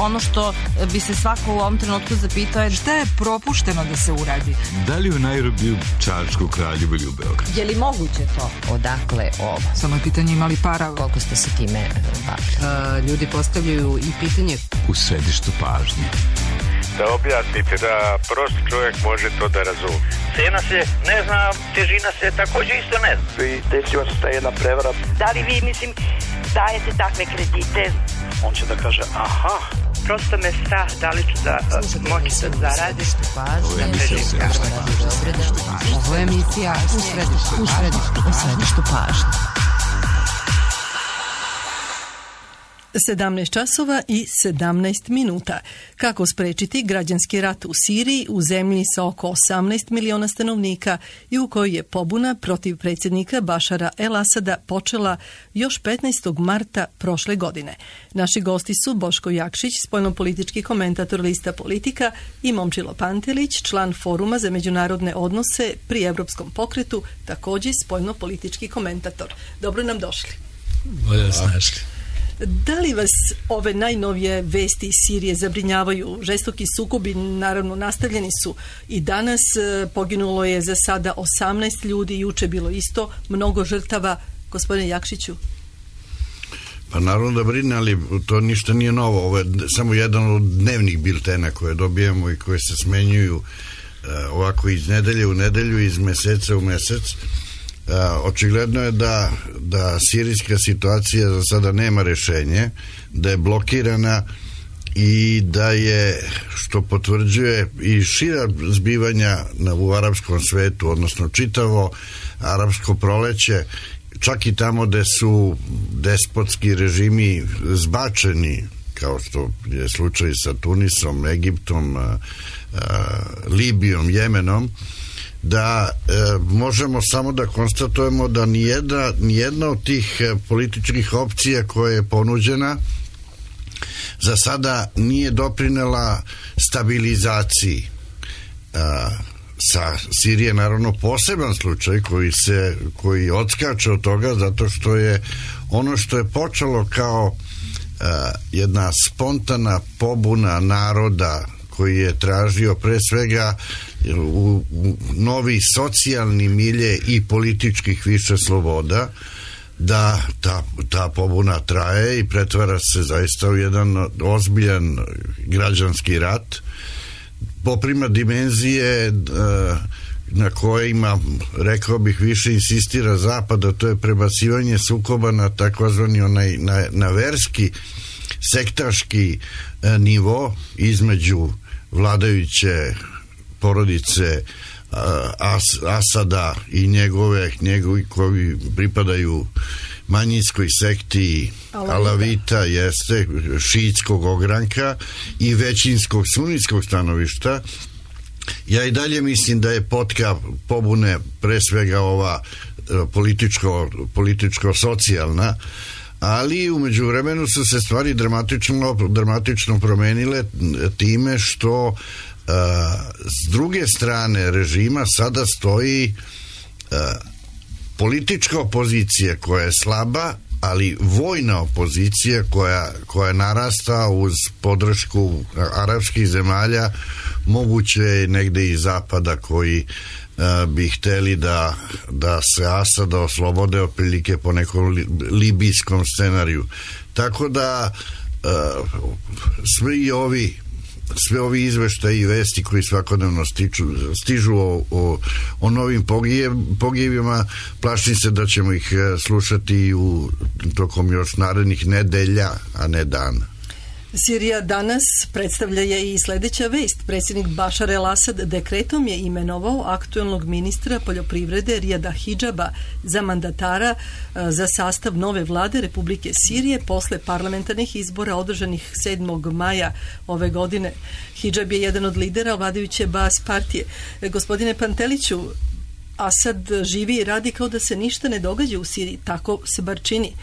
ono što bi se svako u ovom trenutku zapitao je šta je propušteno da se uradi? Da li u Nairobiju, Čačku, Kraljevu ili u Beogradu? Je li moguće to? Odakle ovo? Samo je pitanje imali para. Koliko ste se time bavili? Ljudi postavljaju i pitanje u središtu pažnje. Da objasnite, da prost čovjek može to da razumije. Cena se ne zna, težina se također isto ne zna. I desila se ta jedna prevara. Da li vi, dajete takve kredite? On će da kaže, aha. Prosto me strah, da li ću da moći da zaradim. Ovo je emisija u središtu pažnje. 17 časova i 17 minuta. Kako sprečiti građanski rat u Siriji, u zemlji sa oko 18 miliona stanovnika i u kojoj je pobuna protiv predsjednika Bašara el-Asada počela još 15. marta prošle godine. Naši gosti su Boško Jakšić, spoljnopolitički komentator lista Politika, i Momčilo Pantelić, član Foruma za međunarodne odnose pri Evropskom pokretu, također spoljnopolitički komentator. Dobro nam došli. Bolje vas našli. Da li vas ove najnovije vesti iz Sirije zabrinjavaju? Žestoki sukobi, naravno, nastavljeni su i danas. Poginulo je za sada 18 ljudi, juče bilo isto, mnogo žrtava. Gospodine Jakšiću? Pa naravno da brine, ali to ništa nije novo. Ovo je samo jedan od dnevnih biltena koje dobijemo i koje se smenjuju ovako iz nedelje u nedelju, iz meseca u mesec. Očigledno je da sirijska situacija za sada nema rešenje, da je blokirana i da je, što potvrđuje i šira zbivanja u arapskom svetu, odnosno čitavo arapsko proleće, čak i tamo gde su despotski režimi zbačeni, kao što je slučaj sa Tunisom, Egiptom, Libijom, Jemenom, da možemo samo da konstatujemo da nijedna od tih političkih opcija koja je ponuđena za sada nije doprinela stabilizaciji. Sa Sirije naravno poseban slučaj koji odskače od toga, zato što je ono što je počelo kao jedna spontana pobuna naroda koji je tražio pre svega u novi socijalni milje i političkih više sloboda, da ta pobuna traje i pretvara se zaista u jedan ozbiljan građanski rat, poprima dimenzije na kojima, rekao bih, više insistira Zapad, a to je prebacivanje sukoba na takozvani na verski, sektaški nivo između vladajuće porodice Asada i njegovi koji pripadaju manjinskoj sekti Alavita, jeste, šiitskog ogranka, i većinskog sunitskog stanovišta. Ja i dalje mislim da je potka pobune pre svega ova političko-socijalna, ali u međuvremenu su se stvari dramatično promenile time što s druge strane režima sada stoji politička opozicija koja je slaba, ali vojna opozicija koja narasta uz podršku arapskih zemalja, moguće negde iz zapada, koji bi hteli da se Asada oslobode otprilike po nekom libijskom scenariju. Tako da sve ovi izveštaji i vesti koji svakodnevno stižu o novim pogibima, plašim se da ćemo ih slušati tokom još narednih nedelja, a ne dana. Sirija danas predstavlja je i sljedeća vest. Predsjednik Bašar el-Asad dekretom je imenovao aktualnog ministra poljoprivrede Rijada Hidžaba za mandatara za sastav nove vlade Republike Sirije posle parlamentarnih izbora održanih 7. maja ove godine. Hidžab je jedan od lidera vladajuće Baas partije. Gospodine Panteliću, Asad živi i radi kao da se ništa ne događa u Siriji, tako se bar čini.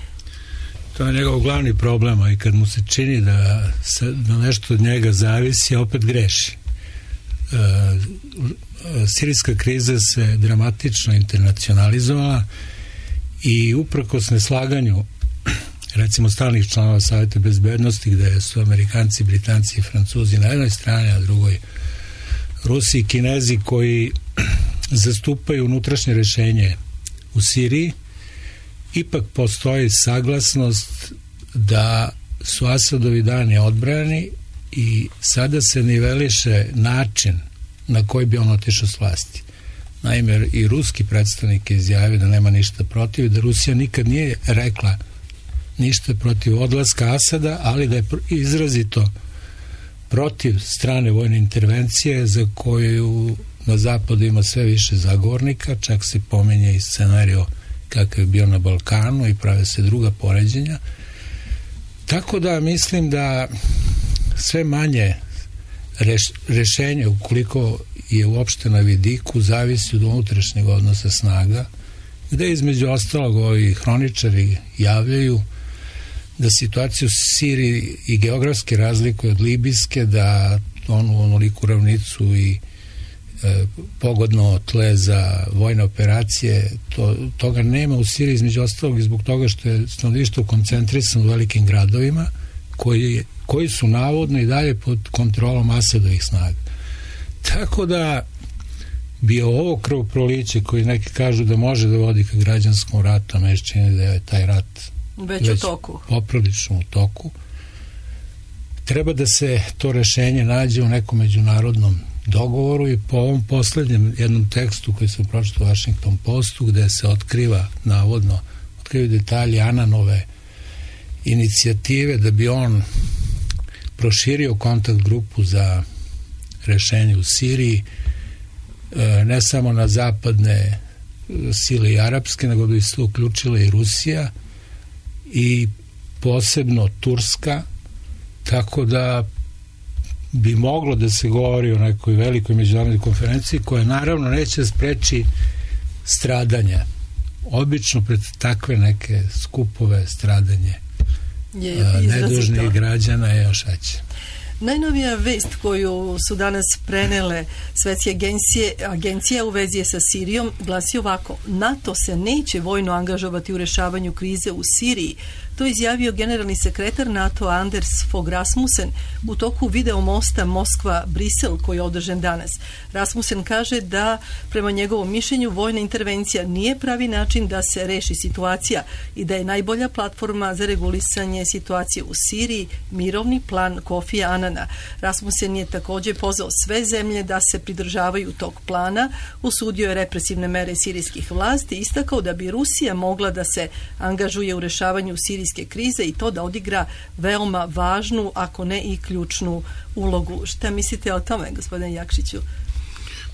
To je njegov glavni problem, a i kad mu se čini da nešto od njega zavisi, opet greši. Sirijska kriza se dramatično internacionalizovala i uprkos neslaganju recimo stalnih članova Saveta bezbednosti, gde su Amerikanci, Britanci i Francuzi na jednoj strani, a drugoj Rusi i Kinezi, koji zastupaju unutrašnje rešenje u Siriji, ipak postoji saglasnost da su Asadovi dani odbrani i sada se niveliše način na koji bi on otišao s vlasti. Naime, i ruski predstavnik je izjavio da nema ništa protiv, da Rusija nikad nije rekla ništa protiv odlaska Asada, ali da je izrazito protiv strane vojne intervencije za koju na zapadu ima sve više zagovornika, čak se pominje i scenario kakav je bio na Balkanu i prave se druga poređenja. Tako da mislim da sve manje rešenje, ukoliko je uopšte na vidiku, zavisi od unutrašnjeg odnosa snaga, gde između ostalog ovi hroničari javljaju da situaciju u Siriji i geografski razlikuje od libijske, da onu onoliku ravnicu i pogodno tle za vojne operacije, toga nema u Siriji, između ostalog i zbog toga što je stanovništvo koncentrisano u velikim gradovima koji su navodno i dalje pod kontrolom Asadovih snaga. Tako da bi ovo krvoproliće, koji neki kažu da može da vodi ka građanskom ratu, a meni čini da je taj rat već u toku, poprilično u toku, treba da se to rešenje nađe u nekom međunarodnom dogovoru. I po ovom poslednjem jednom tekstu koji sam pročitao u Washington Postu, gde se navodno otkrivaju detalji Ananove inicijative da bi on proširio kontakt grupu za rešenje u Siriji, ne samo na zapadne sile i arapske, nego bi se uključila i Rusija i posebno Turska, tako da bi moglo da se govori o nekoj velikoj međunarodnoj konferenciji koja naravno neće spreči stradanja. Obično pred takve neke skupove stradanje nedužnih građana je još veće. Najnovija vest koju su danas prenele svetske agencije u vezi sa Sirijom glasi ovako: NATO se neće vojno angažovati u rešavanju krize u Siriji. To je izjavio generalni sekretar NATO Anders Fogh Rasmussen u toku video mosta Moskva-Brisel koji je održan danas. Rasmussen kaže da prema njegovom mišljenju vojna intervencija nije pravi način da se reši situacija i da je najbolja platforma za regulisanje situacije u Siriji mirovni plan Kofija Anana. Rasmussen je također pozvao sve zemlje da se pridržavaju tog plana, osudio je represivne mere sirijskih vlasti i istakao da bi Rusija mogla da se angažuje u rešavanju sirijske krize i to da odigra veoma važnu, ako ne i ključnu ulogu. Šta mislite o tome, gospodine Jakšiću?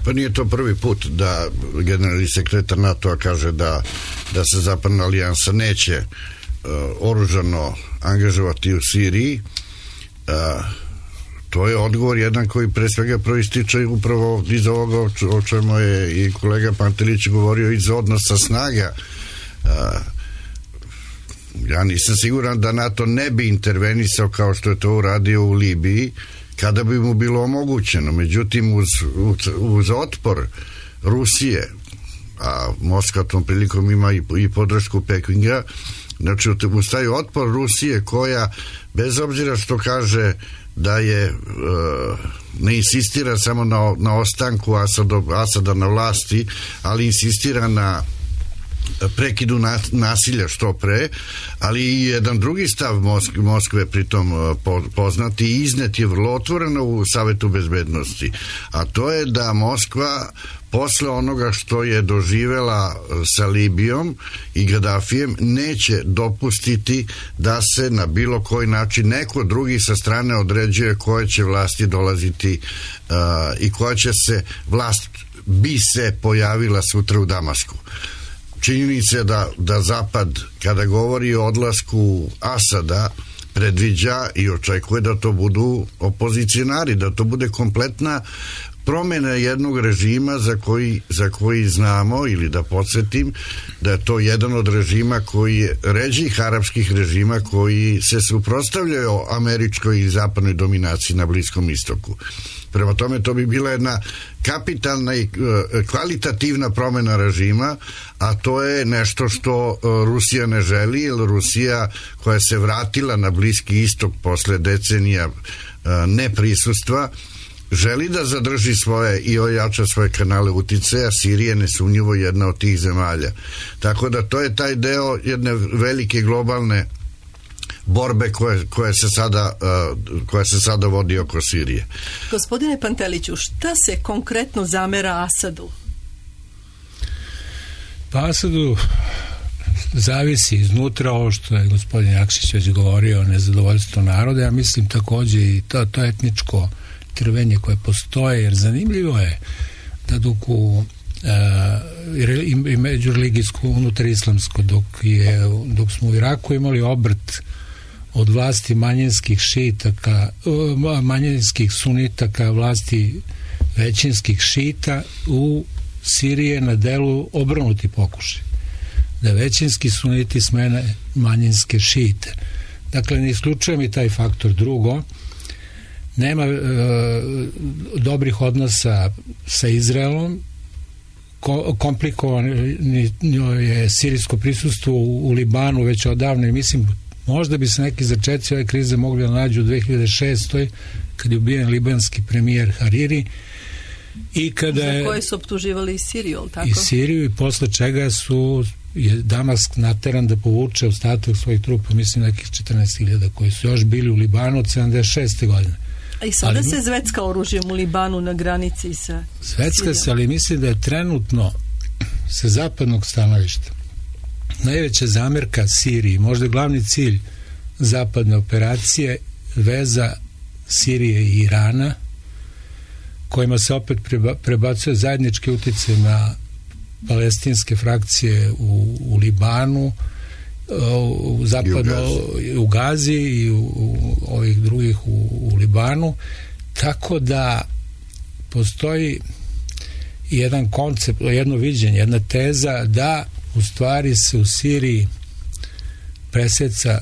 Pa nije to prvi put da generalni sekretar NATO-a kaže da se Zapadna alijansa neće oružano angažovati u Siriji. To je odgovor jedan koji pre svega proističe upravo iz ovoga o čemu je i kolega Pantelić govorio, iz odnosa snaga. Ja nisam siguran da NATO ne bi intervenisao kao što je to uradio u Libiji kada bi mu bilo omogućeno. Međutim, uz otpor Rusije, a Moskva tom prilikom ima i podršku Pekinga, znači uz taj otpor Rusije koja, bez obzira što kaže da je ne insistira samo na ostanku Asada na vlasti, ali insistira na prekidu nasilja što pre, ali i jedan drugi stav Moskve pritom poznati i iznet je vrlo otvoreno u Savetu bezbednosti, a to je da Moskva posle onoga što je doživela sa Libijom i Gaddafijem neće dopustiti da se na bilo koji način neko drugi sa strane određuje koje će vlasti dolaziti i koja će se vlast bi se pojavila sutra u Damasku. Činjenica je da Zapad, kada govori o odlasku Asada, predviđa i očekuje da to budu opozicionari, da to bude kompletna promjena jednog režima za koji znamo, ili da podsjetim, da je to jedan od režima koji je ređih arapskih režima koji se suprotstavljaju američkoj i zapadnoj dominaciji na Bliskom istoku. Prema tome, to bi bila jedna kapitalna i kvalitativna promjena režima, a to je nešto što Rusija ne želi, jer Rusija koja se vratila na Bliski istok posle decenija neprisustva, želi da zadrži svoje i ojača svoje kanale uticaja. Sirija je nesumnjivo jedna od tih zemalja. Tako da to je taj deo jedne velike globalne borbe koja se sada vodi oko Sirije. Gospodine Panteliću, šta se konkretno zamera Asadu? Pa Asadu zavisi iznutra ovo što je gospodin Jakšić već govorio o nezadovoljstvu naroda. Ja mislim takođe i to etničko trvenje koje postoje, jer zanimljivo je da dok i međureligijsko, unutar islamsko, dok smo u Iraku imali obrt od vlasti manjinskih sunita ka vlasti većinskih šita, u Siriji je na delu obrnuti pokušaj, da većinski suniti smene manjinske šite. Dakle, ne isključujem i taj faktor. Drugo, nema dobrih odnosa sa Izraelom, komplikovano je sirijsko prisustvo u Libanu već odavno, i mislim možda bi se neki začeci ove krize mogli da nađu u 2006. kad je ubijen libanski premijer Hariri, i kada za koje su optuživali i Siriju, tako? I Siriju, i posle čega je Damask nateran da povuče ostatak svojih trupa, mislim nekih 14.000 koji su još bili u Libanu od 76. godine. A i sada se zvecka oružjem u Libanu na granici sa Zvecka se, ali mislim da je trenutno sa zapadnog stanovišta najveća zamerka Siriji, možda glavni cilj zapadne operacije, veza Sirije i Irana, kojima se opet prebacuje zajednički utjecaj na palestinske frakcije u Libanu, u Gazi i u ovih drugih u Libanu, tako da postoji jedan koncept, jedno viđenje, jedna teza da u stvari se u Siriji preseca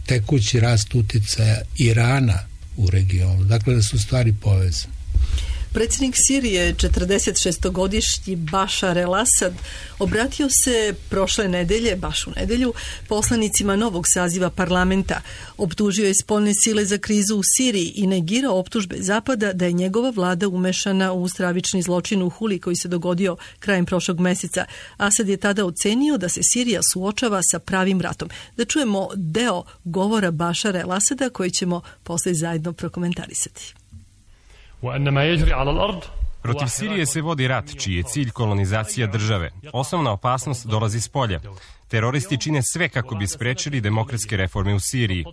tekući rast uticaja Irana u regionu. Dakle, da su stvari povezane. Predsjednik Sirije, 46-godišnji Bašar el-Asad, obratio se prošle nedelje, baš u nedelju, poslanicima novog saziva parlamenta. Optužio je spoljne sile za krizu u Siriji i negirao optužbe Zapada da je njegova vlada umešana u stravični zločin u Huli koji se dogodio krajem prošlog meseca. Asad je tada ocenio da se Sirija suočava sa pravim ratom. Da čujemo deo govora Bašara el-Asada koji ćemo posle zajedno prokomentarisati. Protiv Sirije se vodi rat, čiji je cilj kolonizacija države. Osnovna opasnost dolazi s polja. Teroristi čine sve kako bi sprečili demokratske reforme u Siriji.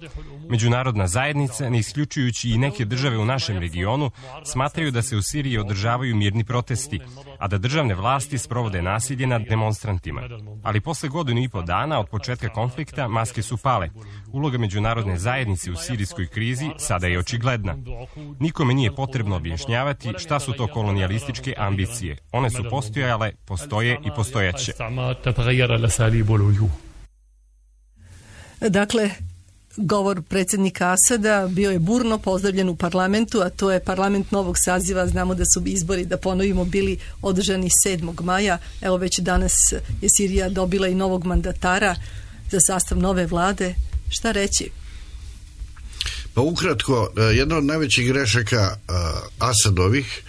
Međunarodna zajednica, ne isključujući i neke države u našem regionu, smatraju da se u Siriji održavaju mirni protesti, a da državne vlasti sprovode nasilje nad demonstrantima. Ali posle godinu i po dana od početka konflikta maske su pale. Uloga međunarodne zajednice u sirijskoj krizi sada je očigledna. Nikome nije potrebno objašnjavati šta su to kolonijalističke ambicije. One su postojale, postoje i postojaće. Dakle, govor predsjednika Asada bio je burno pozdravljen u parlamentu, a to je parlament novog saziva. Znamo da su izbori, da ponovimo, bili održani 7. maja. Evo, već danas je Sirija dobila i novog mandatara za sastav nove vlade. Šta reći? Pa ukratko, jedna od najvećih grešaka Asadovih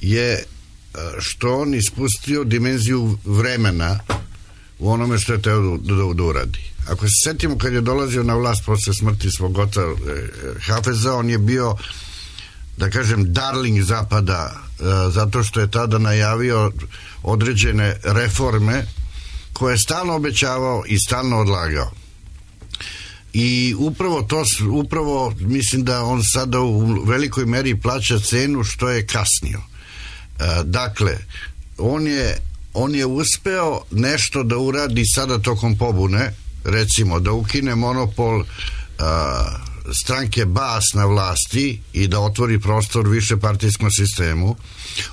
je što on ispustio dimenziju vremena u onome što je teo da uradi. Ako se setimo kad je dolazio na vlast posle smrti svog oca Hafeza, on je bio, da kažem, darling Zapada, zato što je tada najavio određene reforme koje je stalno obećavao i stalno odlagao. I upravo mislim da on sada u velikoj meri plaća cenu što je kasnio. Dakle, on je uspeo nešto da uradi sada tokom pobune, recimo da ukine monopol stranke Baas na vlasti i da otvori prostor višepartijskom sistemu,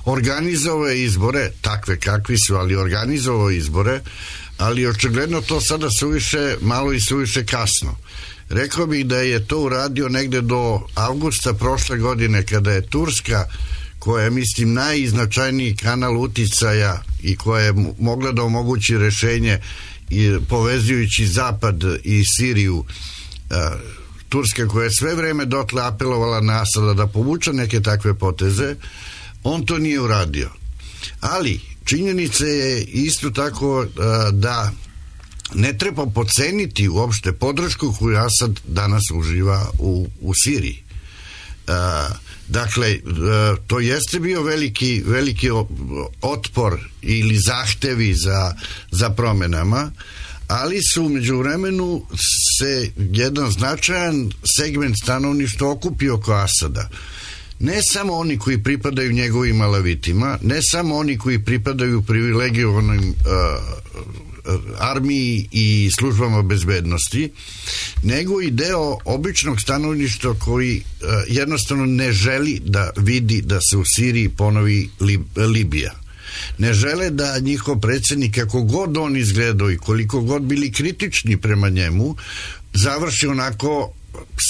organizovao je izbore, takve kakvi su, ali organizovao izbore, ali očigledno to sada suviše malo i suviše kasno. Rekao bih da je to uradio negde do avgusta prošle godine, kada je Turska, koja je, mislim, najznačajniji kanal uticaja i koja je mogla da omogući rešenje i povezujući Zapad i Siriju, Turska koja je sve vreme dotle apelovala na Asada da povuče neke takve poteze, on to nije uradio. Ali činjenica je isto tako da ne treba podceniti uopšte podršku koju Asad danas uživa u Siriji. Dakle, to jeste bio veliki otpor ili zahtevi za promenama, ali su u međuvremenu se jedan značajan segment stanovništva okupio oko Asada. Ne samo oni koji pripadaju njegovim alavitima, ne samo oni koji pripadaju privilegovanim armiji i službama bezbednosti, nego i deo običnog stanovništva koji jednostavno ne želi da vidi da se u Siriji ponovi Libija. Ne žele da njihov predsjednik, kako god on izgledao i koliko god bili kritični prema njemu, završi onako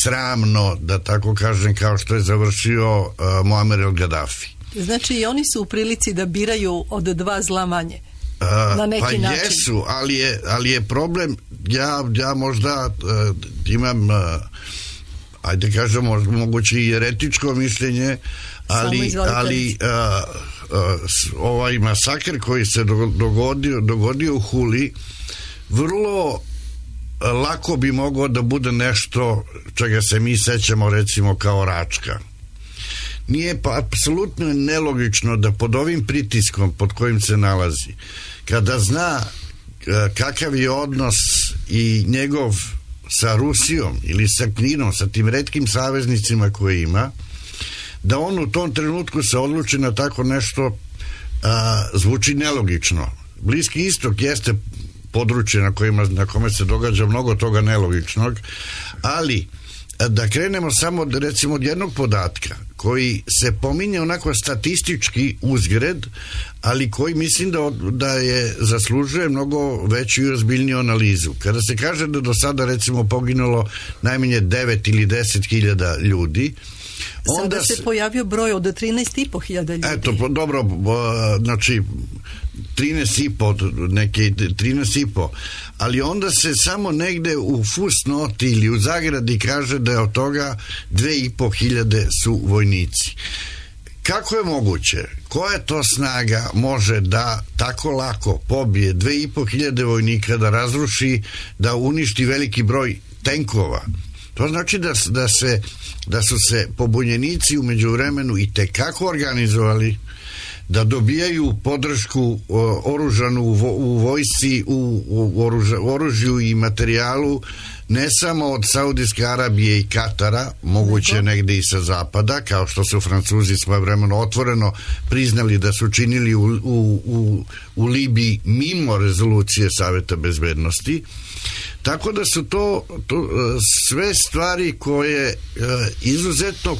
sramno, da tako kažem, kao što je završio Muammar el-Gaddafi. Znači i oni su u prilici da biraju od dva zla manje. Na neki pa način. Jesu, ali je problem, ja možda imam ajde kažemo moguće i eretičko mišljenje, ali ovaj masakr koji se dogodio u Huli vrlo lako bi mogao da bude nešto čega se mi sećamo recimo kao Račka. Nije pa apsolutno nelogično da pod ovim pritiskom pod kojim se nalazi, kada zna kakav je odnos i njegov sa Rusijom ili sa Kinom, sa tim retkim saveznicima koje ima, da on u tom trenutku se odluči na tako nešto, zvuči nelogično. Bliski istok jeste područje na kome se događa mnogo toga nelogičnog, ali da krenemo samo recimo od jednog podatka koji se pominje onako statistički uzgred, ali koji mislim da je zaslužuje mnogo veću i ozbiljniju analizu. Kada se kaže da do sada recimo poginulo najmanje 9 ili 10.000 ljudi, sada se pojavio broj od 13.500 ljudi. Eto, dobro, znači 13.500, ali onda se samo negde u fusnoti ili u zagradi kaže da je od toga 2.500 su vojnici. Kako je moguće? Koja to snaga može da tako lako pobije 2.500 vojnika, da razruši, da uništi veliki broj tenkova? To znači da su se pobunjenici u međuvremenu i tekako organizovali, da dobijaju podršku oružanu u vojsci, u oružju i materijalu, ne samo od Saudijske Arabije i Katara, moguće negde i sa zapada, kao što su Francuzi svojevremeno otvoreno priznali da su činili u Libiji mimo rezolucije Saveta bezbednosti. Tako da su to sve stvari koje izuzetno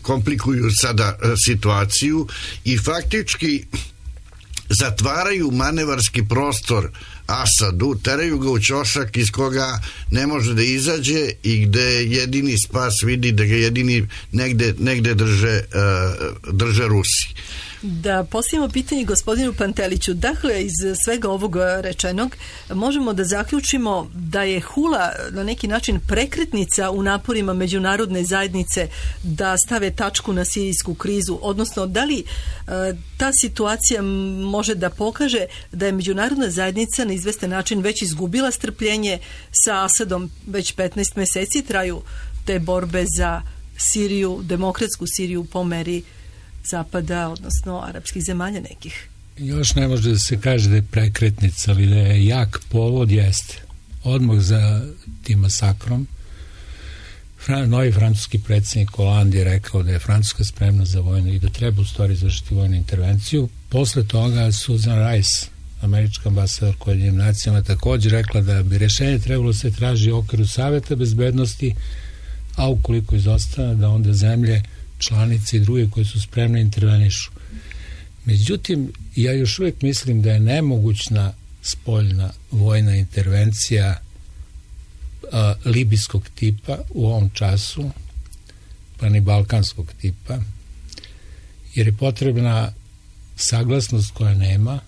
komplikuju sada situaciju i faktički zatvaraju manevarski prostor Asadu, teraju ga u ćošak iz koga ne može da izađe i gde jedini spas vidi da ga jedini negde drže Rusi. Da postavimo pitanje gospodinu Panteliću. Dakle, iz svega ovog rečenog možemo da zaključimo da je Hula na neki način prekretnica u naporima međunarodne zajednice da stave tačku na sirijsku krizu, odnosno da li ta situacija može da pokaže da je međunarodna zajednica na izvestan način već izgubila strpljenje sa Asadom, već 15 meseci traju te borbe za Siriju, demokratsku Siriju po meri Zapada, odnosno arapskih zemalja nekih. Još ne može da se kaže da je prekretnica, ali da je jak povod, jeste. Odmah za tim masakrom novi francuski predsjednik Hollande je rekao da je Francuska spremna za vojnu i da treba u stvari izvršiti vojnu intervenciju. Posle toga Susan Rice, američka ambasadorka u Ujedinjenim nacijama, također rekla da bi rješenje trebalo se traži u okviru Saveta bezbednosti, a ukoliko izostane da onda zemlje, članice i druge koje su spremne intervenišu. Međutim, ja još uvijek mislim da je nemogućna spoljna vojna intervencija libijskog tipa u ovom času, pa ni balkanskog tipa, jer je potrebna saglasnost koja nema,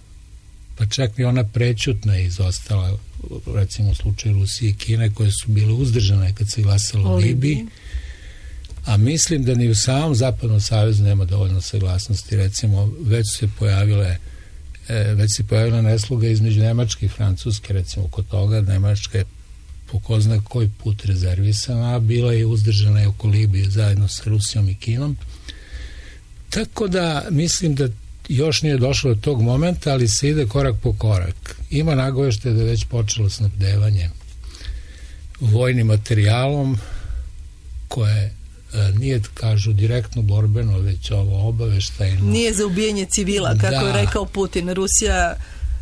pa čak i ona prećutna je izostala, recimo u slučaju Rusije i Kine, koje su bile uzdržane kad se glasalo u Libiji, a mislim da ni u samom Zapadnom savezu nema dovoljno saglasnosti. Recimo, već se pojavila nesloga između Nemačke i Francuske, recimo kod toga. Nemačka je po ko zna koji put rezervisana, a bila je uzdržana i oko Libije zajedno sa Rusijom i Kinom. Tako da mislim da još nije došlo do tog momenta, ali se ide korak po korak. Ima nagovešte da je već počelo snabdevanje vojnim materijalom koje nije, kažu, direktno borbeno, već ovo obaveštajno. Nije za ubijanje civila, kako je rekao Putin. Rusija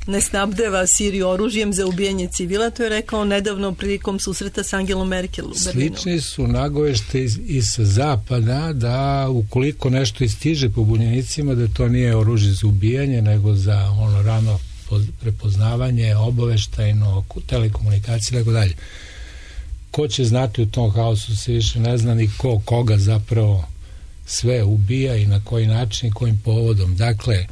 ne snabdeva Siriju oružjem za ubijanje civila, to je rekao nedavno prilikom susreta s Angelom Merkel u Berlinu. Slični su nagovešte i sa zapada da ukoliko nešto istiže pobunjenicima, da to nije oružje za ubijanje, nego za ono rano prepoznavanje, obaveštajno, telekomunikacije i tako dalje. Ko će znati u tom haosu se više ne zna ni koga zapravo sve ubija i na koji način i kojim povodom. Dakle,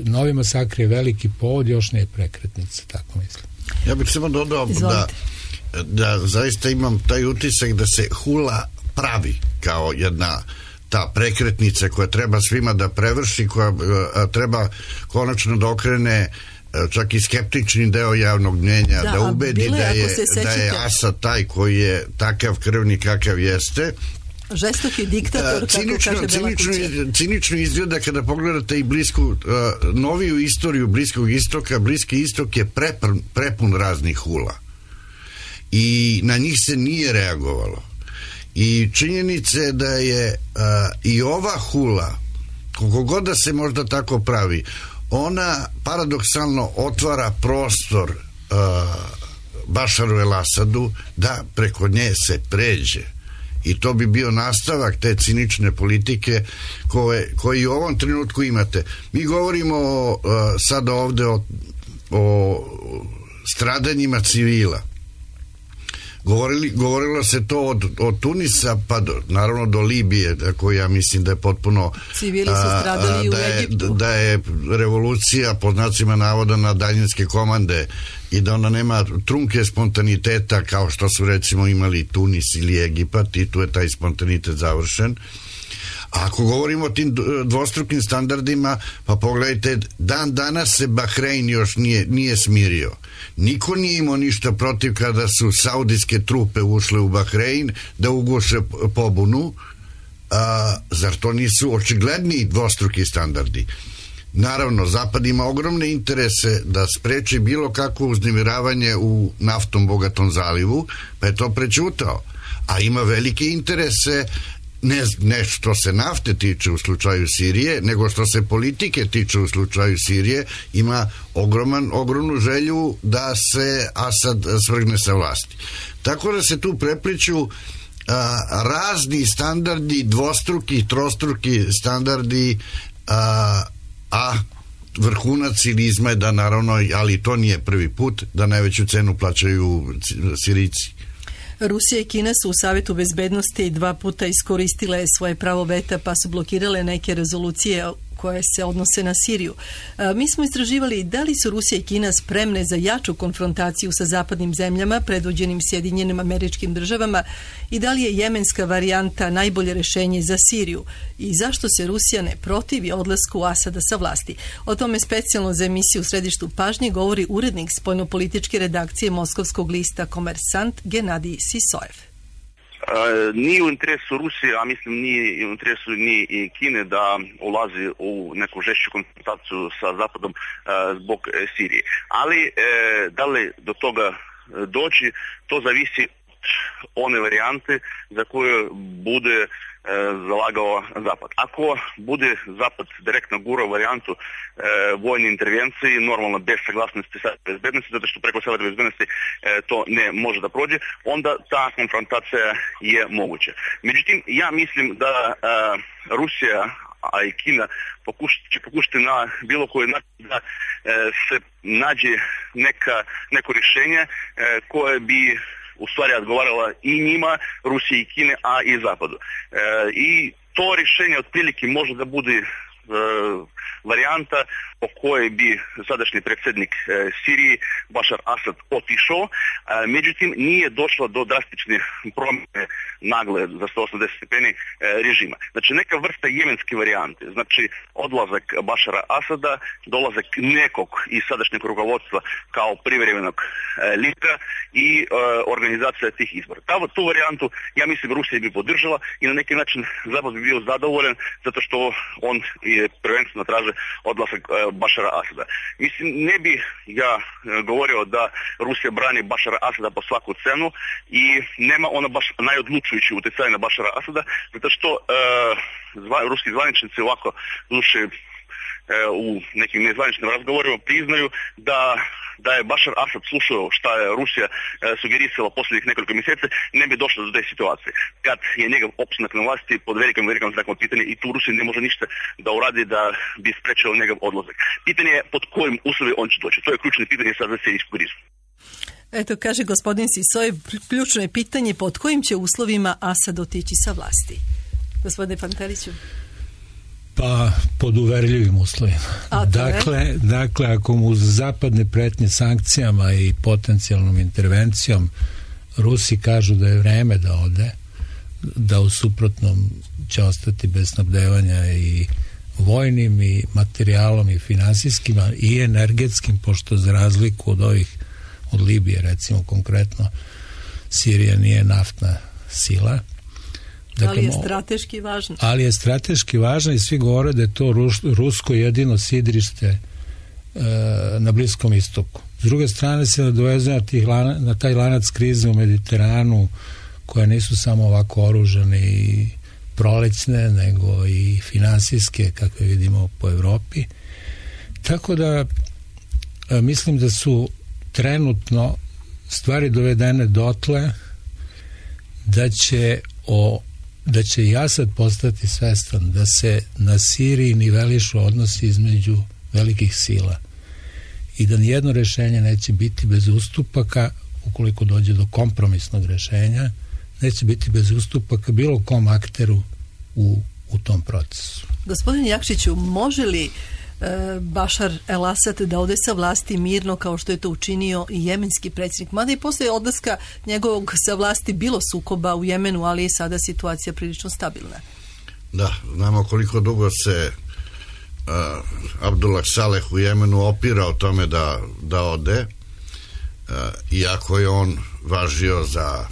novi masakr je veliki povod, još nije prekretnica, tako mislim. Ja bih samo dodao da zaista imam taj utisak da se hula pravi kao jedna ta prekretnica koja treba svima da prevrši, koja treba konačno da okrene čak i skeptični deo javnog mnjenja, da ubedi da je Asad taj koji je takav krvni kakav jeste. Žestoki diktator, kako kaže Bela kuća. Cinično izgleda kada pogledate i noviju istoriju Bliskog istoka. Bliski istok je prepun raznih hula i na njih se nije reagovalo. I činjenice da je i ova hula, koliko god da se možda tako pravi, ona paradoksalno otvara prostor Bašaru el-Asadu da preko nje se pređe. I to bi bio nastavak te cinične politike koji u ovom trenutku imate. Mi govorimo sada ovde o stradanjima civila. Govorilo se to od Tunisa pa naravno do Libije, koji ja mislim da je potpuno civili su stradali u Egiptu, da je revolucija pod znacima navoda na daljinske komande i da ona nema trunke spontaniteta kao što su recimo imali Tunis ili Egipat, i tu je taj spontanitet završen. A ako govorimo o tim dvostrukim standardima, pa pogledajte, dan danas se Bahrein još nije smirio. Niko nije imao ništa protiv kada su saudijske trupe ušle u Bahrein da uguše pobunu. Zar to nisu očigledni dvostruki standardi? Naravno, Zapad ima ogromne interese da spreči bilo kakvo uznemiravanje u naftom bogatom zalivu, pa je to prećutao. A ima velike interese ne što se nafte tiče u slučaju Sirije, nego što se politike tiče u slučaju Sirije. Ima ogromnu želju da se Asad svrgne sa vlasti. Tako da se tu prepliču razni standardi, dvostruki, trostruki standardi, a vrhunac cinizma je da naravno, ali to nije prvi put, da najveću cenu plaćaju Sirijci. Rusija i Kina su u Savetu bezbednosti 2 puta iskoristile svoje pravo veta, pa su blokirale neke rezolucije koje se odnose na Siriju. Mi smo istraživali da li su Rusija i Kina spremne za jaču konfrontaciju sa zapadnim zemljama predvođenim Sjedinjenim Američkim Državama i da li je jemenska varijanta najbolje rješenje za Siriju i zašto se Rusija ne protivi odlasku Asada sa vlasti. O tome specijalno za emisiju u središtu pažnje govori urednik spoljnopolitičke redakcije moskovskog lista Komersant Genadij Sisojev. Nije u interesu Rusije, a mislim nije u interesu ni Kine da ulazi u neku žešću konfrontaciju sa Zapadom zbog Sirije. Ali da li do toga doći, to zavisi od one varijante za koju bude zalagao Zapad. Ako bude Zapad direktno gurao varijantu vojne intervencije, normalno bez saglasnosti Savjeta bezbednosti, zato što preko Savjeta bezbednosti to ne može da prođe, onda ta konfrontacija je moguća. Međutim, ja mislim da Rusija, a i Kina će pokušati na bilo koji način da se nađe neko rješenje koje bi u stvari odgovarala i njima, Rusiji i Kine, a i Zapadu. I to rješenje otprilike može da bude varijanta po kojoj bi sadašnji predsjednik Siriji Bašar Asad otišao, međutim nije došlo do drastične promjene nagle za 180 stepeni režima. Znači neka vrsta jemenske varijante, znači odlazak Bašara Asada, dolazak nekog iz sadašnjeg rukovodstva kao privremenog lidera i organizacija tih izbora. Tu varijantu, ja mislim, Rusija bi podržala i na neki način Zapad bi bio zadovoljan zato što on je prvenstveno traže odlazak Bašara Asada. Mislim, ne bi ja govorio da Rusija brani Bašara Asada po svaku cenu i nema ona baš najodlučujući utjecaj na Bašara Asada, zato što ruski zvaničnici ovako duše u nekim nezvaničnim razgovorima priznaju da je Bašar Asad slušao šta je Rusija sugerisala posljednjih nekoliko mjeseci, ne bi došlo do te situacije. Kad je njegov opstanak na vlasti pod velikim znakom pitanja i tu Rusija ne može ništa da uradi da bi sprečilo njegov odlazak. Pitanje je pod kojim uslovima on će doći. To je ključno pitanje sad za sirijsku krizu. Eto, kaže gospodin Sisoj, ključno je pitanje pod kojim će uslovima Asad otići sa vlasti. Gospodine Panteliću. Pa pod uverljivim uslovima. Dakle, ako mu uz zapadne pretnje sankcijama i potencijalnom intervencijom Rusi kažu da je vreme da ode, da u suprotnom će ostati bez snabdevanja i vojnim i materijalom i finansijskim i energetskim, pošto za razliku od Libije, recimo konkretno, Sirija nije naftna sila. Dakle, ali je strateški važno. Ali je strateški važno i svi govore da je to rusko jedino sidrište na Bliskom istoku. S druge strane se nadovezuje na taj lanac krize u Mediteranu, koje nisu samo ovako oružane i prolećne, nego i finansijske, kakve vidimo po Evropi. Tako da mislim da su trenutno stvari dovedene dotle da će i Asad postati svestan da se na Siriji nivelišu odnosi između velikih sila i da nijedno rješenje neće biti bez ustupaka. Ukoliko dođe do kompromisnog rješenja, neće biti bez ustupaka bilo kom akteru u tom procesu. Gospodin Jakšiću, može li Bašar el-Asad da ode sa vlasti mirno kao što je to učinio i jemenski predsjednik? Mada i posle odlaska njegovog sa vlasti bilo sukoba u Jemenu, ali je sada situacija prilično stabilna. Da, znamo koliko dugo se Abdullah Saleh u Jemenu opirao tome da ode, iako je on važio za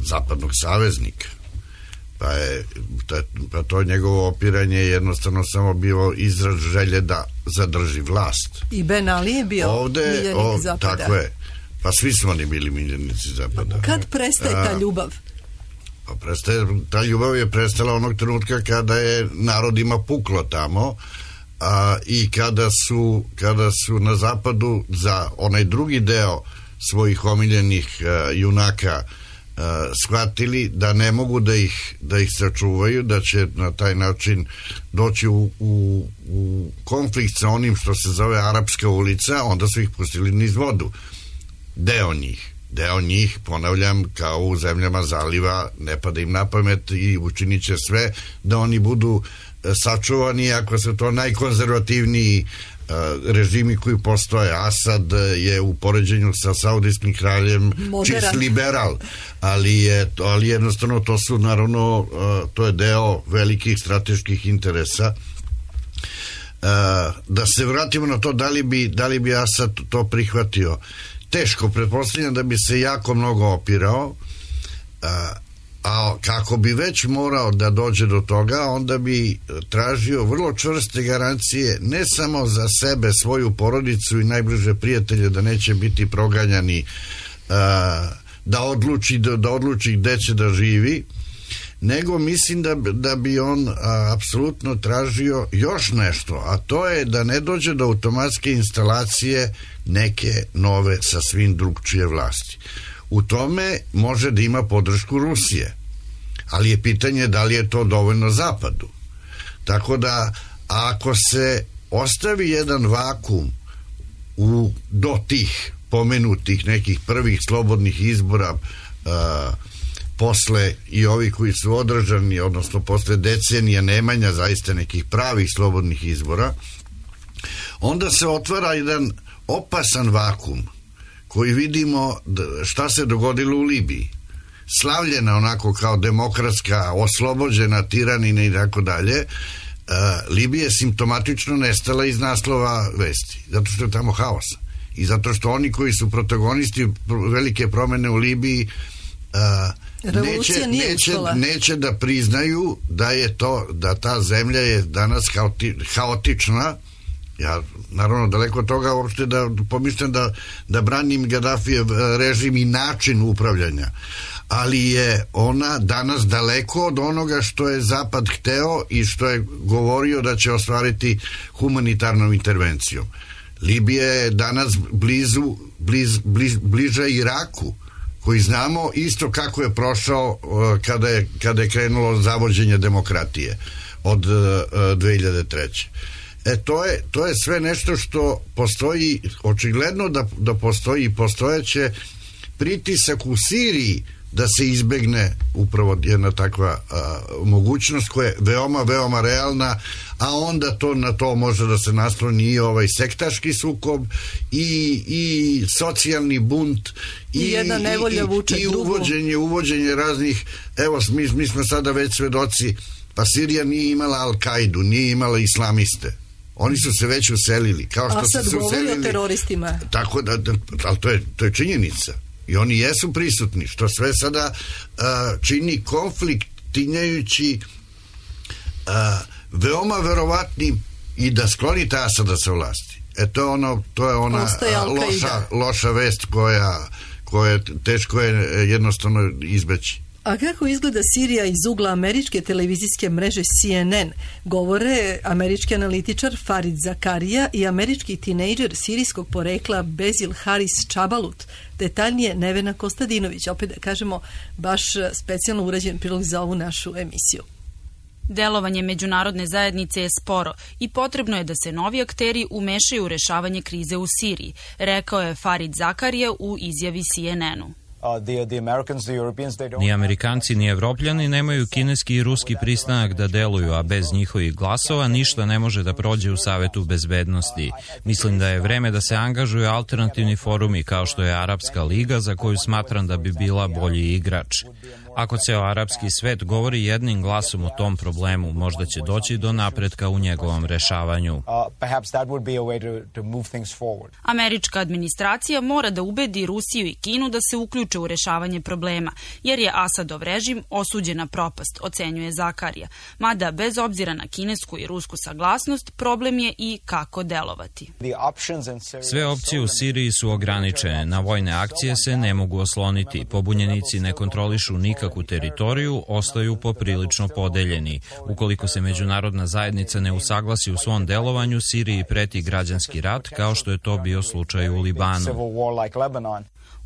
zapadnog saveznika. Pa to njegovo opiranje je jednostavno samo bio izraz želje da zadrži vlast. I Ben Ali je bio miljenik Zapada. Tako je. Pa svi smo oni bili miljenici Zapada. Kad prestaje ta ljubav? Ta ljubav je prestala onog trenutka kada je narodima puklo tamo i kada su na Zapadu za onaj drugi deo svojih omiljenih junaka shvatili da ne mogu da ih sačuvaju, da će na taj način doći u konflikt sa onim što se zove Arapska ulica, onda su ih pustili niz vodu. Deo njih, ponavljam, kao u zemljama zaliva, ne pada im na pamet i učinit će sve da oni budu sačuvani, ako su to najkonzervativniji režimi koji postoje. Asad je u poređenju sa saudijskim kraljem čist liberal, ali jednostavno to su naravno, to je deo velikih strateških interesa. Da se vratimo na to da li bi Asad to prihvatio. Teško, pretpostavljam da bi se jako mnogo opirao, a kako bi već morao da dođe do toga, onda bi tražio vrlo čvrste garancije ne samo za sebe, svoju porodicu i najbliže prijatelje da neće biti proganjani, da odluči gde će da živi, nego mislim da bi on apsolutno tražio još nešto, a to je da ne dođe do automatske instalacije neke nove sasvim drugčije vlasti. U tome može da ima podršku Rusije, ali je pitanje da li je to dovoljno Zapadu. Tako da ako se ostavi jedan vakum do tih pomenutih nekih prvih slobodnih izbora posle i ovi koji su održani, odnosno posle decenija nemanja zaista nekih pravih slobodnih izbora, onda se otvara jedan opasan vakum koji vidimo šta se dogodilo u Libiji. Slavljena onako kao demokratska, oslobođena tiranina i tako dalje, Libija je simptomatično nestala iz naslova vesti, zato što je tamo haos. I zato što oni koji su protagonisti velike promene u Libiji neće da priznaju da ta zemlja je danas haotična. Ja naravno daleko od toga uopšte da pomislim da branim Gaddafijev režim i način upravljanja, ali je ona danas daleko od onoga što je Zapad hteo i što je govorio da će ostvariti humanitarnom intervencijom. Libija je danas bliža Iraku, koji znamo isto kako je prošao kada je krenulo zavođenje demokratije od 2003. To je sve nešto što postoji, očigledno da postoji i postojeće pritisak u Siriji da se izbegne upravo jedna takva mogućnost koja je veoma, veoma realna, a onda na to može da se nasloni i ovaj sektaški sukob i socijalni bunt i jedna nevolja vuče drugu. Uvođenje raznih, evo mi smo sada već svedoci, pa Sirija nije imala Al-Kaidu, nije imala islamiste. Oni su se već uselili. A sad govori o teroristima. Tako da, ali to je činjenica. I oni jesu prisutni, što sve sada čini konflikt tinjajući veoma verovatnim i da skloni Asada sa vlasti. To je ona loša vest koja teško je jednostavno izbeći. A kako izgleda Sirija iz ugla američke televizijske mreže CNN, govore američki analitičar Farid Zakaria i američki tinejdžer sirijskog porekla Bezil Haris Čabalut. Detaljnije Nevena Kostadinović, opet da kažemo baš specijalno urađen prilog za ovu našu emisiju. Delovanje međunarodne zajednice je sporo i potrebno je da se novi akteri umešaju u rešavanje krize u Siriji, rekao je Farid Zakaria u izjavi CNN-u. Ni Amerikanci ni Evropljani nemaju kineski i ruski pristanak da deluju, a bez njihovih glasova ništa ne može da prođe u Savetu bezbednosti. Mislim da je vreme da se angažuju alternativni forumi kao što je Arapska liga, za koju smatram da bi bila bolji igrač. Ako ceo arapski svet govori jednim glasom o tom problemu, možda će doći do napretka u njegovom rešavanju. Američka administracija mora da ubedi Rusiju i Kinu da se uključe u rešavanje problema, jer je Asadov režim osuđen na propast, ocenjuje Zakarija. Mada, bez obzira na kinesku i rusku saglasnost, problem je i kako delovati. Sve opcije u Siriji su ograničene. Na vojne akcije se ne mogu osloniti. Pobunjenici ne kontrolišu nikakvu teritoriju, ostaju poprilično podeljeni. Ukoliko se međunarodna zajednica ne usaglasi u svom delovanju, Siriji preti građanski rat, kao što je to bio slučaj u Libanu.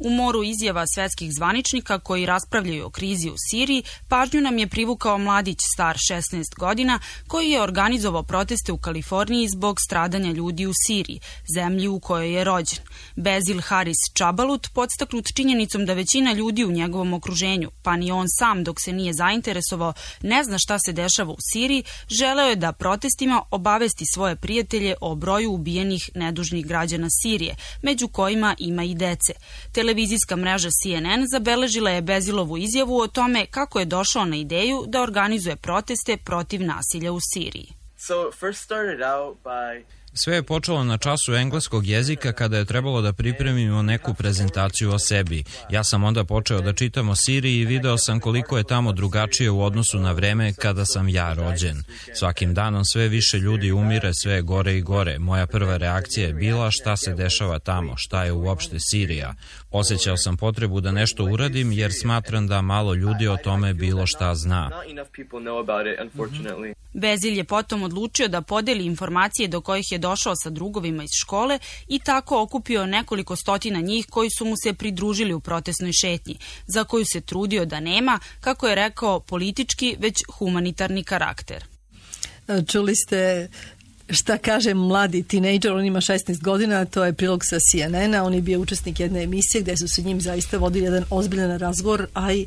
U moru izjava svetskih zvaničnika koji raspravljaju o krizi u Siriji, pažnju nam je privukao mladić star 16 godina koji je organizovao proteste u Kaliforniji zbog stradanja ljudi u Siriji, zemlji u kojoj je rođen. Bezil Haris Čabalut, podstaknut činjenicom da većina ljudi u njegovom okruženju, pa ni on sam dok se nije zainteresovao, ne zna šta se dešava u Siriji, želeo je da protestima obavesti svoje prijatelje o broju ubijenih nedužnih građana Sirije, među kojima ima i dece. Televizijska mreža CNN zabeležila je Bezilovu izjavu o tome kako je došao na ideju da organizuje proteste protiv nasilja u Siriji. Sve je počelo na času engleskog jezika kada je trebalo da pripremimo neku prezentaciju o sebi. Ja sam onda počeo da čitam o Siriji i video sam koliko je tamo drugačije u odnosu na vreme kada sam ja rođen. Svakim danom sve više ljudi umire, sve je gore i gore. Moja prva reakcija je bila šta se dešava tamo, šta je uopšte Sirija. Osjećao sam potrebu da nešto uradim jer smatram da malo ljudi o tome bilo šta zna. Bezil je potom odlučio da podeli informacije do kojih je došao sa drugovima iz škole i tako okupio nekoliko stotina njih koji su mu se pridružili u protestnoj šetnji, za koju se trudio da nema, kako je rekao, politički, već humanitarni karakter. Čuli ste šta kaže mladi tinejdžer, on ima 16 godina, to je prilog sa CNN-a, on je bio učesnik jedne emisije gde su se njim zaista vodili jedan ozbiljan razgovor, a i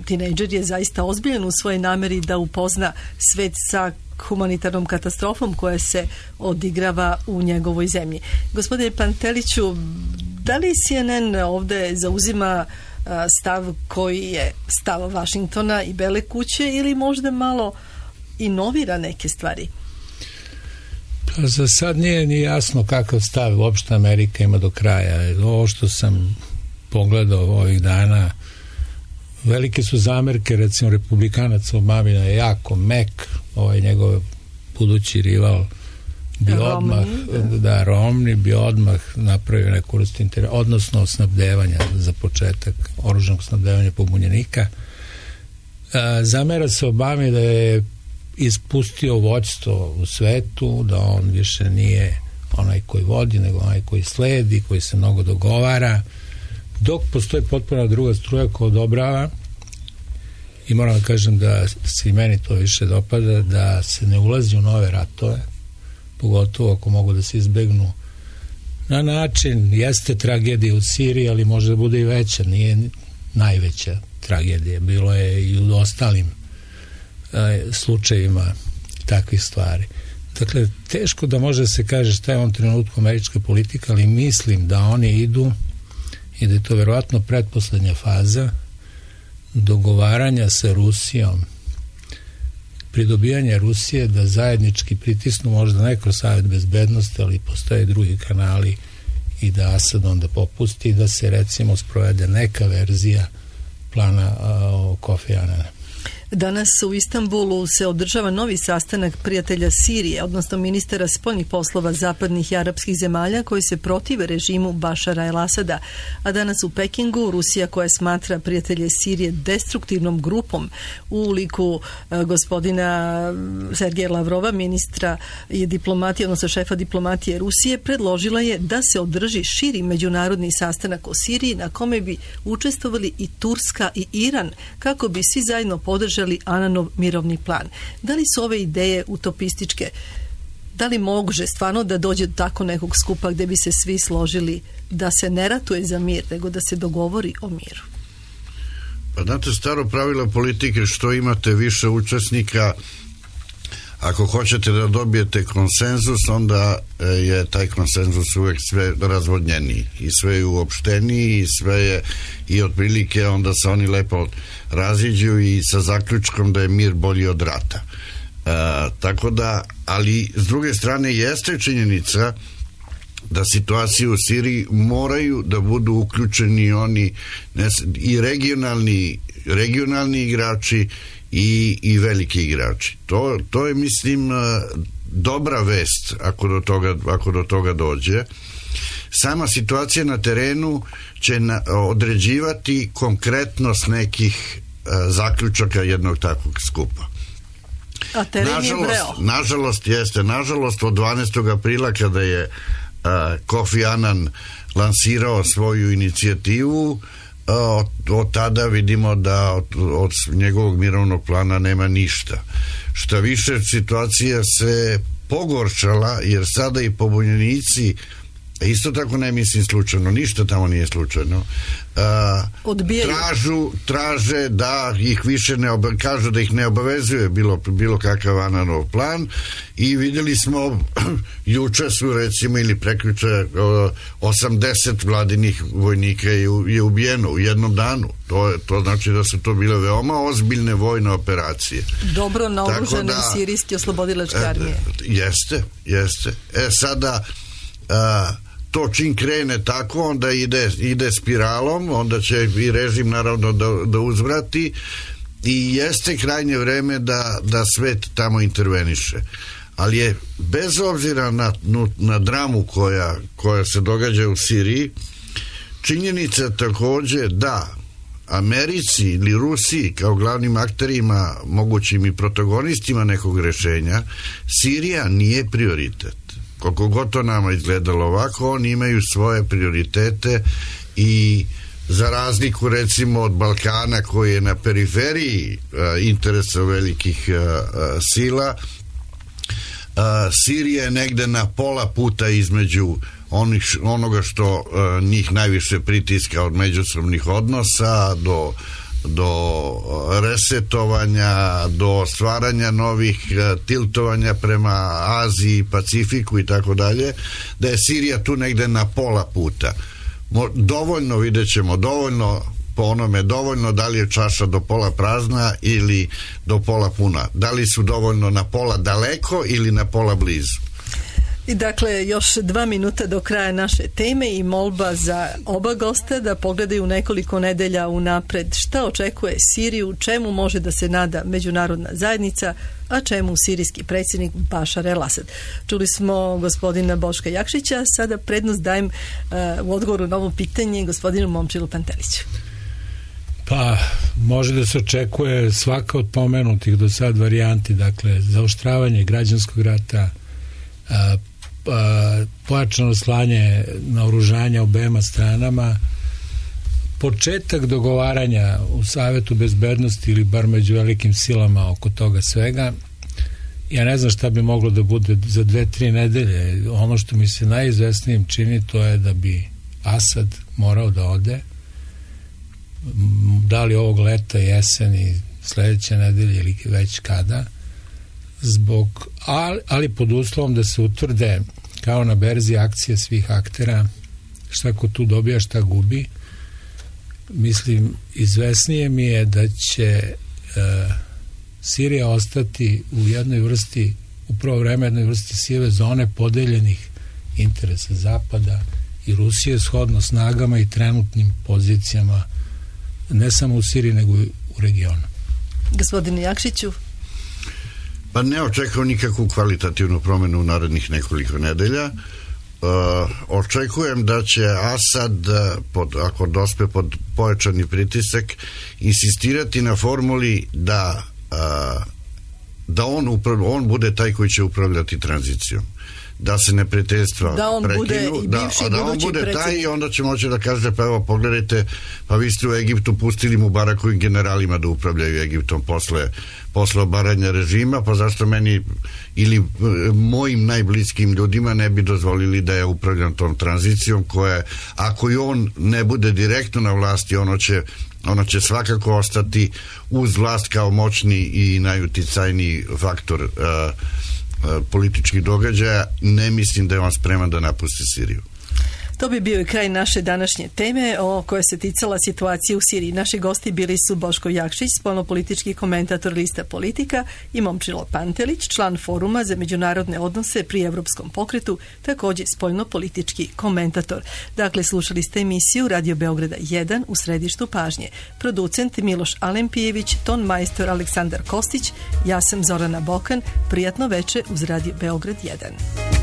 tinejdžer je zaista ozbiljan u svojoj nameri da upozna svet sa humanitarnom katastrofom koja se odigrava u njegovoj zemlji. Gospodine Panteliću, da li CNN ovde zauzima stav koji je stav Vašingtona i Bele kuće ili možda malo inovira neke stvari? Pa za sad nije ni jasno kakav stav uopšte Amerika ima do kraja. Ovo što sam pogledao ovih dana, velike su zamerke, recimo republikanac Obamina je jako mek, ovaj njegov budući rival bi odmah, Romney bi odmah napravio neku vrstu odnosno snabdevanja za početak, oružanog snabdevanja pobunjenika. Zamera se Obami da je ispustio vođstvo u svetu, da on više nije onaj koji vodi, nego onaj koji sledi, koji se mnogo dogovara, dok postoji potpuno druga struja koja odobrava, i moram da kažem da se i meni to više dopada, da se ne ulazi u nove ratove, pogotovo ako mogu da se izbegnu na način, jeste tragedija u Siriji, ali može da bude i veća, nije najveća tragedija, bilo je i u ostalim slučajevima takvih stvari. Dakle, teško da može da se kaže šta je u ovom trenutku američka politika, ali mislim da oni idu i da je to verovatno pretposlednja faza dogovaranja sa Rusijom, pridobijanja Rusije da zajednički pritisnu, možda ne kroz Savet bezbednosti, ali postoje drugi kanali, i da Asad onda popusti i da se recimo sprovede neka verzija plana Kofi Anana. Danas u Istanbulu se održava novi sastanak prijatelja Sirije, odnosno ministara spoljnih poslova zapadnih i arapskih zemalja koji se protive režimu Bašara el-Asada. A danas u Pekingu Rusija, koja smatra prijatelje Sirije destruktivnom grupom u liku gospodina Sergeja Lavrova, ministra i diplomatije, odnosno šefa diplomatije Rusije, predložila je da se održi širi međunarodni sastanak o Siriji na kome bi učestvovali i Turska i Iran, kako bi svi zajedno podržali Ananov mirovni plan. Da li su ove ideje utopističke? Da li može stvarno da dođe do tako nekog skupa gde bi se svi složili da se ne ratuje za mir, nego da se dogovori o miru? Pa znate, staro pravilo politike, što imate više učesnika, ako hoćete da dobijete konsenzus, onda je taj konsenzus uvek sve razvodnjeniji i sve je uopšteniji i sve je i otprilike onda se oni lepo raziđu i sa zaključkom da je mir bolji od rata. Tako da, ali s druge strane jeste činjenica da situacije u Siriji moraju da budu uključeni oni i regionalni igrači i veliki igrači. To je, mislim, dobra vest ako do toga dođe. Sama situacija na terenu će određivati konkretnost nekih zaključaka jednog takvog skupa. A teren je vreo. Nažalost, od 12. aprila kada je Kofi Annan lansirao svoju inicijativu, od tada vidimo da od njegovog mirovnog plana nema ništa. Šta više, situacija se pogoršala jer sada i pobunjenici Isto tako ne mislim slučajno, ništa tamo nije slučajno. Traže da ih više kažu da ih ne obavezuje bilo kakav Ananov plan i vidjeli smo juče su recimo ili prekjuče 80 vladinih vojnika je ubijeno u jednom danu. To znači da su to bile veoma ozbiljne vojne operacije. Dobro naoružane sirijske oslobodilačke armije. Jeste. Sada to čim krene tako, onda ide spiralom, onda će i režim naravno da uzvrati i jeste krajnje vreme da svet tamo interveniše. Ali je, bez obzira na dramu koja se događa u Siriji, činjenica takođe da Americi ili Rusiji kao glavnim akterima, mogućim i protagonistima nekog rešenja, Sirija nije prioritet. Koliko god to nama izgledalo ovako, oni imaju svoje prioritete i za razliku recimo od Balkana koji je na periferiji interesa velikih sila, Sirija je negde na pola puta između onoga što njih najviše pritiska od međusobnih odnosa do resetovanja, do stvaranja novih tiltovanja prema Aziji, Pacifiku i tako dalje, da je Sirija tu negde na pola puta. Dovoljno, vidjet ćemo, dovoljno da li je čaša do pola prazna ili do pola puna. Da li su dovoljno na pola daleko ili na pola blizu. I dakle, još 2 minuta do kraja naše teme i molba za oba gosta da pogledaju nekoliko nedelja unapred šta očekuje Siriju, čemu može da se nada međunarodna zajednica, a čemu sirijski predsjednik Bašar el-Asad. Čuli smo gospodina Boška Jakšića, sada prednost dajem u odgovoru na ovo pitanje gospodinu Momčilu Panteliću. Pa, može da se očekuje svaka od pomenutih do sad varijanti, dakle, zaoštravanje građanskog rata, pojačano slanje naoružanja obema stranama, početak dogovaranja u Savetu bezbednosti ili bar među velikim silama oko toga svega. Ja ne znam šta bi moglo da bude za 2-3 nedelje. Ono što mi se najizvesnijim čini, to je da bi Asad morao da ode, da li ovog leta, jeseni, sledeće nedelje ili već kada, ali pod uslovom da se utvrde kao na berzi akcije svih aktera šta ko tu dobija, šta gubi. Mislim, izvesnije mi je da će Sirija ostati u jednoj vrsti, u prvo vreme jednoj vrsti sive zone podeljenih interesa Zapada i Rusije shodno snagama i trenutnim pozicijama ne samo u Siriji nego i u regionu. Gospodine Jakšiću? Pa ne očekujem nikakvu kvalitativnu promenu u narednih nekoliko nedelja. Očekujem da će Asad, ako dospe pod pojačani pritisak, insistirati na formuli da on bude taj koji će upravljati tranzicijom. Da se neprijateljstva prekinu, da on bude taj i onda će moći da kaže, pa evo pogledajte, pa vi ste u Egiptu pustili Mubarakovim generalima da upravljaju Egiptom posle obaranja režima, pa zašto meni ili mojim najbliskim ljudima ne bi dozvolili da ja upravljam tom tranzicijom koja, ako i on ne bude direktno na vlasti, ono će svakako ostati uz vlast kao moćni i najuticajniji faktor političkih događaja. Ne mislim da je on spreman da napusti Siriju. To bi bio i kraj naše današnje teme o kojoj se ticala situacije u Siriji. Naši gosti bili su Boško Jakšić, spoljnopolitički komentator lista Politika, i Momčilo Pantelić, član Foruma za međunarodne odnose pri Evropskom pokretu, također spoljnopolitički komentator. Dakle, slušali ste emisiju Radio Beograda 1 u središtu pažnje. Producent Miloš Alempijević, ton majstor Aleksandar Kostić, ja sam Zorana Bokan. Prijatno veče uz Radio Beograd 1.